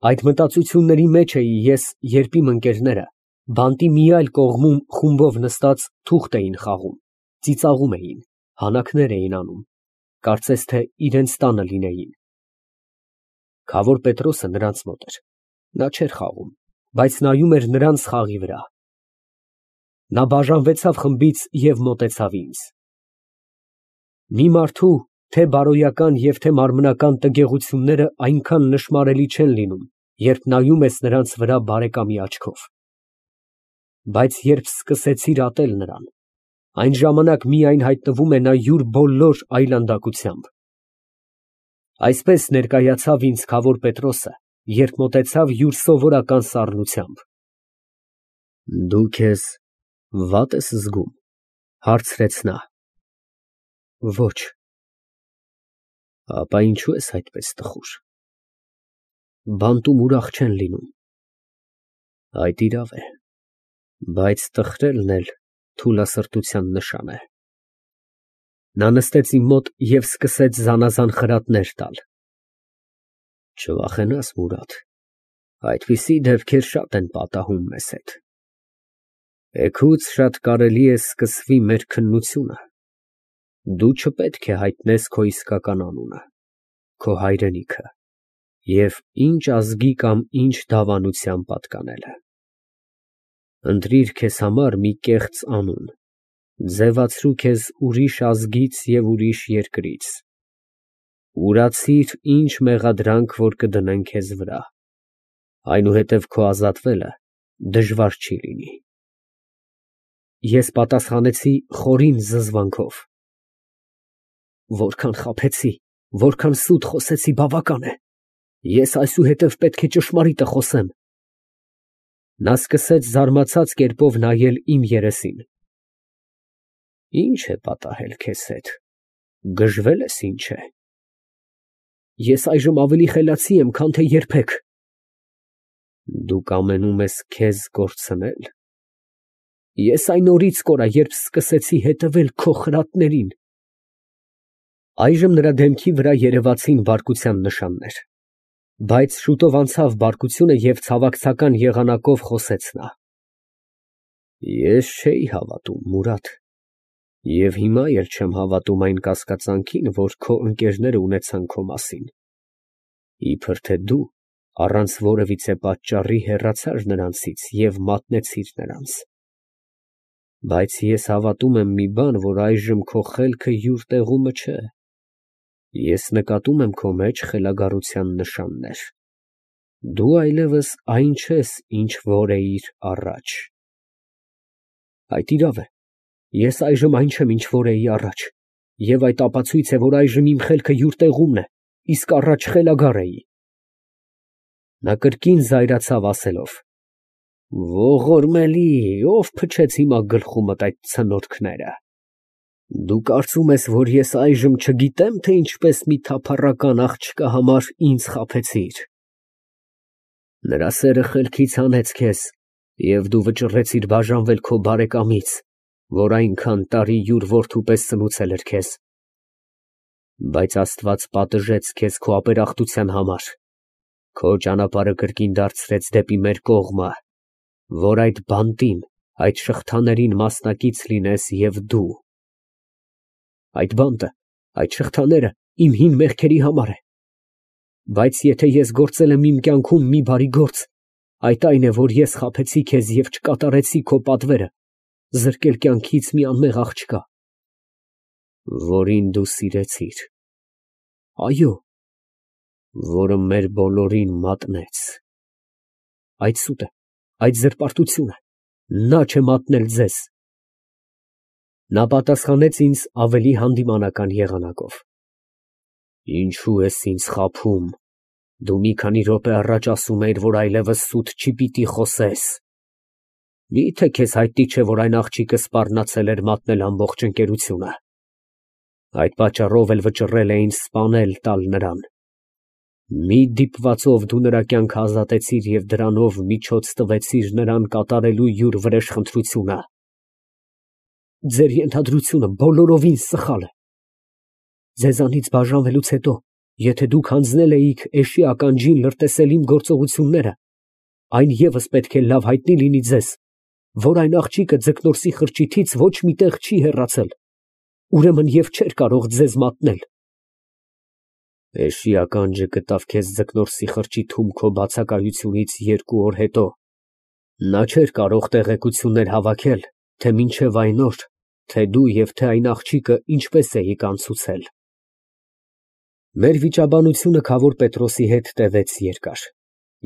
Այդ մտածությունների մեջ էի ես, երբ իմ ընկերները բանտի մի այլ կողմում խումբով նստած թուղթ էին խաղում, ծիծաղում էին, հանակներ էին անում, կարծես թե իրենց տանը լինեին։ Քավոր Պետրոսը նրանց մոտ էր, նա չէր խաղում, բայց նայում էր նրանց խաղի վրա։ Նա բաժանվեցավ խմբից և մոտեցավ ինձ։ Մի մարդու թե բարոյական և թե մարմնական տգեղությունները այնքան նշմարելի չեն լինում, երբ նայում ես նրանց վրա բարեկամի աչքով։ Բայց երբ սկսեցիր ատել նրան, այն ժամանակ միայն հայտնվում է նա յուր բոլոր այլանդակությամբ։ Այսպես ներկայացավ ինձ քավոր Պետրոսը, երբ մոտեցավ յուր սովորական սառնությամբ։ Դու քեզ վատ ես զգում, հարցրեց նա։ Ոչ։ Ապա ինչու ես այդպես տխուր։ Բանտում ուրախ չեն լինում։ Այդ իրավ է, բայց տխրելն էլ թուլասրտության նշան է։ Նա նստեց իմ մոտ և սկսեց զանազան խրատներ տալ։ Չվախենաս, Մուրադ, այդպիսի դեպքեր շատ են պատահում մեզ հետ։ Էգուց շատ կարելի է սկսվի մեր քննությունը։ Դու չպետք է հայտնես քո իսկական անունը, քո հայրենիքը և ինչ ազգի կամ ինչ դավանության պատկանելը։ Ընտրիր քեզ համար մի կեղծ անուն, ձևացրու քեզ ուրիշ ազգից և ուրիշ երկրից։ Ուրացիր ինչ մեղադրանք, որ կդնեն քեզ վրա, այնուհետև քո ազատվելը դժվար չի լինի։ Ես պատասխանեցի խորին զզվանքով. Որքան խաբեցի, որքան սուտ խոսեցի, բավական է։ Ես այսուհետև պետք է ճշմարիտը խոսեմ։ Նա սկսեց զարմացած կերպով նայել իմ երեսին։ Ինչ է պատահել քեզ հետ, գժվել ես ինչ է։ Ես այժմ ավելի խելացի եմ, քան թե երբեք։ Դու կամենում ես քեզ կորցնել։ Ես այն օրից կորա, երբ սկսեցի հետևել քո խրատներին։ Այժմ նրա դեմքի վրա երևացին բարկության նշաններ, բայց շուտով անցավ բարկությունը և ցավակցական եղանակով խոսեց նա. Ես չէի հավատում, Մուրադ, և հիմա էլ չեմ հավատում այն կասկածանքին, որ քո ընկերները ունեցան քո մասին, իբր թե դու առանց որևիցե պատճառի հեռացար նրանցից և մատնեցիր նրանց։ Բայց ես հավատում եմ մի բան, որ այժմ քո խելքը յուր տեղումն չէ։ Ես նկատում եմ քո մեջ խելագարության նշաններ։ Դու այլևս այն չես, ինչ որ էիր առաջ։ Այդ իրավ է, ես այժմ այն չեմ, ինչ որ էի առաջ, և այդ ապացույց է, որ այժմ իմ խելքը յուր տեղումն է, իսկ առաջ խելագար էի։ Նա կրկին զայրացավ ասելով. Ողորմելի, ով փչեց հիմա գլխումդ այդ ցնորքները։ Դու կարծում ես, որ ես այժմ չգիտեմ, թե ինչպես մի թափառական աղջկա համար ինձ խաբեցիր։ Նրա սերը խելքից հանեց քեզ, և դու վճռեցիր բաժանվել քո բարեկամից, որ այնքան տարի յուր որդու պես սնուցել էր քեզ։ Բայց Աստված պատժեց քեզ քո ապերախտության համար, քո ճանապարհը կրկին դարձրեց դեպի մեր կողմը, որ այդ բանտին, այդ շղթաներին մասնակից լինես և դու։ Այդ բանտը, այդ շղթաները իմ հին մեղքերի համար է։ Բայց եթե ես գործել եմ իմ կյանքում մի բարի գործ, այդ այն է, որ ես խաբեցի քեզ և չկատարեցի քո պատվերը, զրկել կյանքից մի անմեղ աղջկա, որին դու սիրեցիր, այո, որը մեր բոլորին մատնեց։ Այդ սուտ է, այդ զրպարտություն է, նա չէ մատնել ձեզ։ Նա պատասխանեց ինձ ավելի հանդիմանական եղանակով. Ինչու ես ինձ խաբում, դու մի քանի րոպե առաջ ասում էիր, որ այլևս սուտ չի պիտի խոսես։ Մի՞թե քեզ հայտնի չէ, որ այն աղջիկը սպառնացել էր մատնել ամբողջ ընկերությունը։ Այդ պատճառով էլ վճռել էին սպանել տալ նրան։ Մի դիպվածով դու նրա կյանքը ազատեցիր և դրանով միջոց տվեցիր նրան կատարելու յուր վրեժխնդրությունը։ Ձեր ենթադրությունը բոլորովին սխալ է։ Ձեզանից բաժանվելուց հետո Եթե դուք հանձնել էիք էշի ականջին լրտեսել իմ գործողությունները, այն ևս պետք է լավ հայտնի լինի ձեզ, որ այն աղջիկը ձկնորսի խրճիթից ոչ մի տեղ չի հեռացել, ուրեմն և չէր կարող ձեզ մատնել։ Էշի ականջը գտավ քեզ ձկնորսի խրճիթում քո բացակայությունից 2 օր հետո։ Նա չէր կարող տեղեկություններ հավաքել, թե մինչև այն օր, թե դու և թե այն աղջիկը ինչպես էիք անցուցել։ Մեր վիճաբանությունը քավոր Պետրոսի հետ տևեց երկար։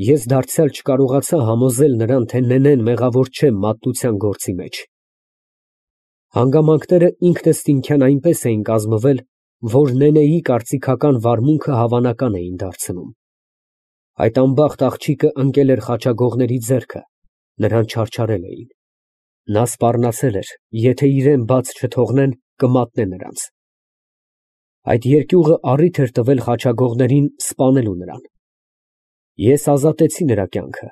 Ես դարձյալ չկարողացա համոզել նրան, թե Նենեն մեղավոր չէ մատնության գործի մեջ։ Հանգամանքները ինքնըստինքյան այնպես էին կազմվել, որ Նենեի կարծիքական վարմունքը հավանական էին դարձնում։ Այդ անբախտ աղջիկը ընկել էր խաչագողների ձեռքը, նրան չարչարել էին։ Նա սպառնացել էր, եթե իրեն բաց չթողնեն, կմատնե նրանց։ Այդ երկյուղը առիթ էր տվել խաչագողներին սպանելու նրան։ Ես ազատեցի նրա կյանքը,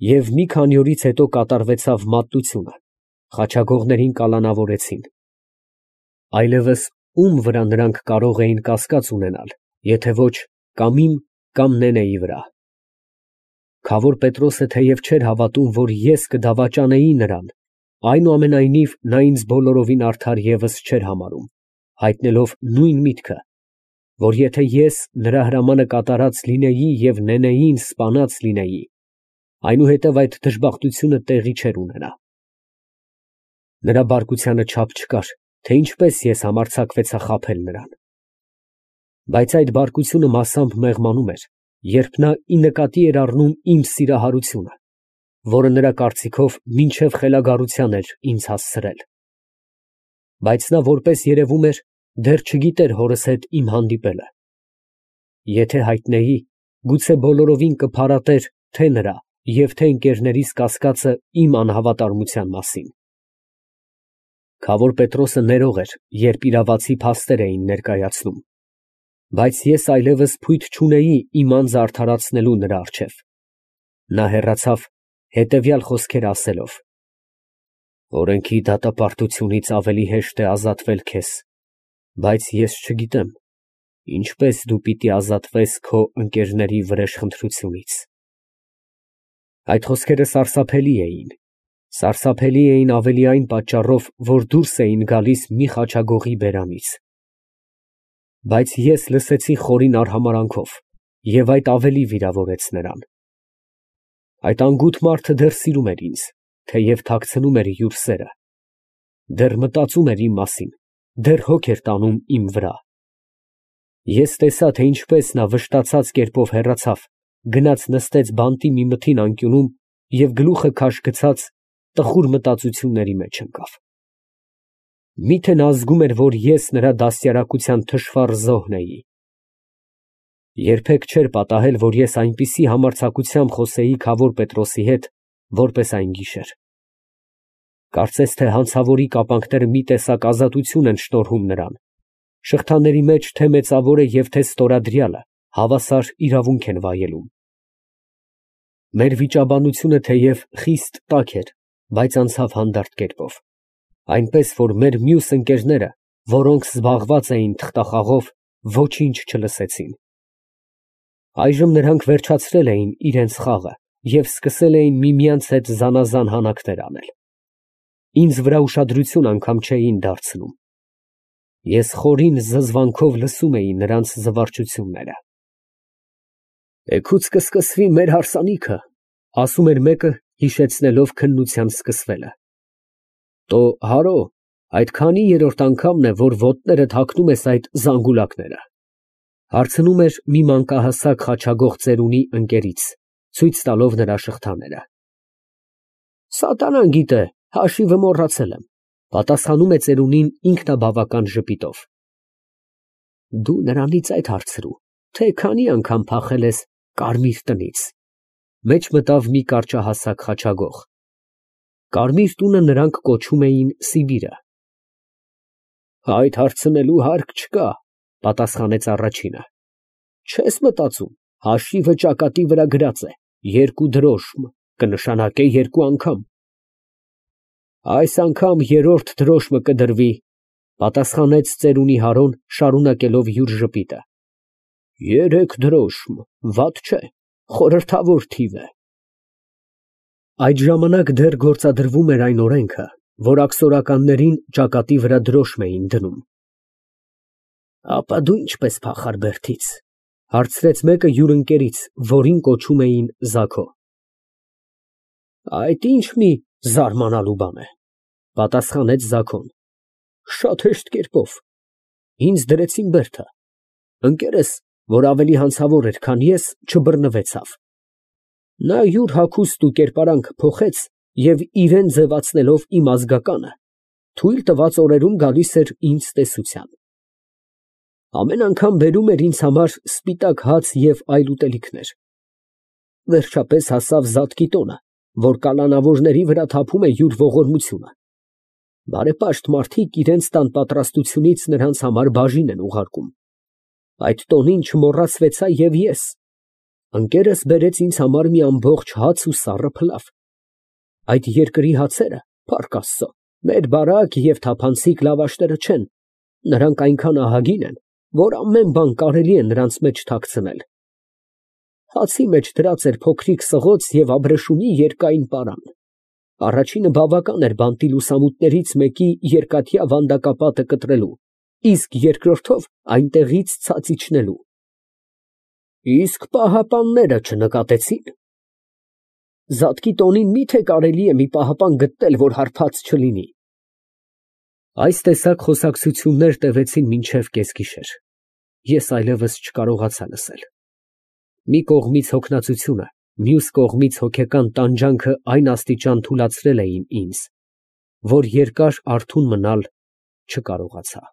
և մի քանի օրից հետո կատարվեցավ մատնությունը, խաչագողներին կալանավորեցին։ Այլևս ում վրա նրանք կարող էին կասկած ունենալ, եթե ոչ կամ իմ, կամ Նենեի վրա։ Քավոր Պետրոսը թեև չէր հավատում, որ ես կդավաճանեի նրան, այնուամենայնիվ նա ինձ բոլորովին արդար ևս չէր համարում, հայտնելով նույն միտքը, որ եթե ես նրա հրամանը կատարած լինեի և Նենեին սպանած լինեի, այնուհետև այդ դժբախտությունը տեղի չէր ունենա։ Նրա բարկությանը չափ չկար, թե ինչպես ես համարձակվեցա խաբել նրան։ Բայց այդ բարկությունը մասամբ մեղմանում էր, երբ նա ի նկատի էր առնում իմ սիրահարությունը, որը նրա կարծիքով մինչև խելագարության էր ինձ հասցրել։ Բայց նա, որպես երևում էր, դեռ չգիտեր հորս հետ իմ հանդիպելը։ Եթե հայտնեի, գուցե բոլորովին կփարատեր թե նրա և թե ընկերներիս կասկածը իմ անհավատարմության մասին։ Քավոր Պետրոսը ներող էր, երբ իրավացի փաստեր էին ներկայացնում, բայց ես այլևս փույթ չունեի իմ անձը արդարացնելու նրա առջև։ Նա հեռացավ, հետևյալ խոսքերը ասելով. «Օրենքի դատապարտությունից ավելի հեշտ է ազատվել քեզ, բայց ես չգիտեմ, ինչպես դու պիտի ազատվես քո ընկերների վրեժխնդրությունից»։ Այդ խոսքերը սարսափելի էին ավելի այն պատճառով, որ դուրս էին գալիս մի խաչագողի բերանից։ Բայց ես լսեցի խորին արհամարհանքով, և այդ ավելի վիրավորեց նրան։ Այդ անգութ մարդը դեռ սիրում էր ինձ, թեև թաքցնում էր յուր սերը, դեռ մտածում էր իմ մասին, դեռ հոգ էր տանում իմ վրա։ Ես տեսա, թե ինչպես նա վշտացած կերպով հեռացավ, գնաց նստեց բանտի մի մթին անկյունում և գլուխը քաշ գցած տխուր մտածությունների մեջ ընկավ։ Մի՞թե նա զգում էր, որ ես նրա դաստիարակության թշվառ զոհն էի։ Երբեք չէր պատահել, որ ես այնպիսի համարձակությամբ խոսեի քավոր Պետրոսի հետ, որպես այն գիշեր։ Կարծես թե հանցավորի կապանքները մի տեսակ ազատություն են շնորհում նրան, շղթաների մեջ թե մեծավորը և թե ստորադրյալը հավասար իրավունք են վայելում։ Մեր վիճաբանությունը թեև խիստ տաք էր, բայց անցավ հանդարտ կերպով, այնպես որ մեր մյուս ընկերները, որոնք զբաղված էին թղթախաղով, ոչինչ չլսեցին։ Այժմ նրանք վերջացրել էին իրենց խաղը և սկսել էին միմյանց հետ զանազան հանակներ անել։ Ինձ վրա ուշադրություն անգամ չէին դարձնում։ Ես խորին զզվանքով լսում էի նրանց զվարճությունները։ «Էգուց կսկսվի մեր հարսանիքը», ֊ ասում էր մեկը, հիշեցնելով քննության սկսվելը։ «Տո հարո, այդ քանի երրորդ անգամն է, որ ոտներդ հագնում ես այդ զանգուլակները», ֊ հարցնում էր մի մանկահասակ խաչագող ծերունի ընկերից, ցույց տալով նրա շղթաները։ «Սատանան գիտե, հաշիվը մոռացել եմ», ֊ պատասխանում է ծերունին ինքնաբավական ժպիտով։ «Դու նրանից այդ հարցրու, թե քանի անգամ փախել ես Կարմիր տնից», ֊ մեջ մտավ մի կարճահասակ խաչագող։ Կարմիր տունը նրանք կոչում էին Սիբիրը։ «Այդ հարցնելու հարկ չկա», ֊ պատասխանեց առաջինը։ «Չես մտածում, հաշիվը ճակատի վրա գրած է, 2 դրոշմ, կնշանակե 2 անգամ»։ «Այս անգամ երրորդ դրոշմը կդրվի», ֊ պատասխանեց ծերունի Հարոն, շարունակելով յուր ժպիտը։ 3 դրոշմ, վատ չէ, խորհրդավոր թիվ է։ Այդ ժամանակ դեռ գործադրվում էր այն օրենքը, որ աքսորականներին ճակատի վրա դրոշմ էին դնում։ Ապա դու ինչպես փախար Բերդից, հարցրեց մեկը յուր ընկերից, որին կոչում էին Զաքո։ Այդ ինչ մի զարմանալու բան է, պատասխանեց Զաքոն։ Շատ հեշտ կերպով։ Ինձ դրեցին Բերդը։ Ընկերս, որ ավելի հանցավոր էր, քան ես, չբռնվեցավ։ Նա յուր հագուստն ու կերպարանքը փոխեց և իրան ձևացնելով իմ ազգականը, թույլ տված օրերում գալիս էր ինձ տեսության։ Ամեն անգամ բերում էր ինձ համար սպիտակ հաց և այլ ուտելիքներ։ Վերջապես հասավ Զատկի տոնը, որ կալանավորների վրա թափում է յուր ողորմությունը։ Բարեպաշտ մարդիկ իրենց տան պատրաստությունից նրանց համար բաժին են ուղարկում։ Այդ տոնին չմոռացվեցա և ես։ Ընկերս բերեց ինձ համար մի ամբողջ հաց ու սառը փլավ։ Այդ երկրի հացերը, փառք Աստծո, մեր բարակ և թափանցիկ լավաշները չեն, նրանք այնքան ահագին են, որ ամեն բան կարելի է նրանց մեջ թաքցնել։ Հացի մեջ դրած էր փոքրիկ սղոց և അബ്രաշումի երկայն պարան։ Առաջինը բավական էր բանտի լուսամուտներից մեկի երկաթյա վանդակապատը կտրելու, իսկ երկրորդով այնտեղից ցած իջնելու։ Իսկ պահապանները չնկատեցի՞ն։ Զատկի տոնին մի՞թե կարելի է մի պահապան գտնել, որ հարբած չլինի։ Այս տեսակ խոսակցություններ տևեցին մինչև կեսգիշեր։ Ես այլևս չկարողացա լսել։ Մի կողմից հոգնածությունը, մյուս կողմից հոգեկան տանջանքը այն աստիճան թուլացրել էին ինձ, որ երկար արթուն մնալ չկարողացա։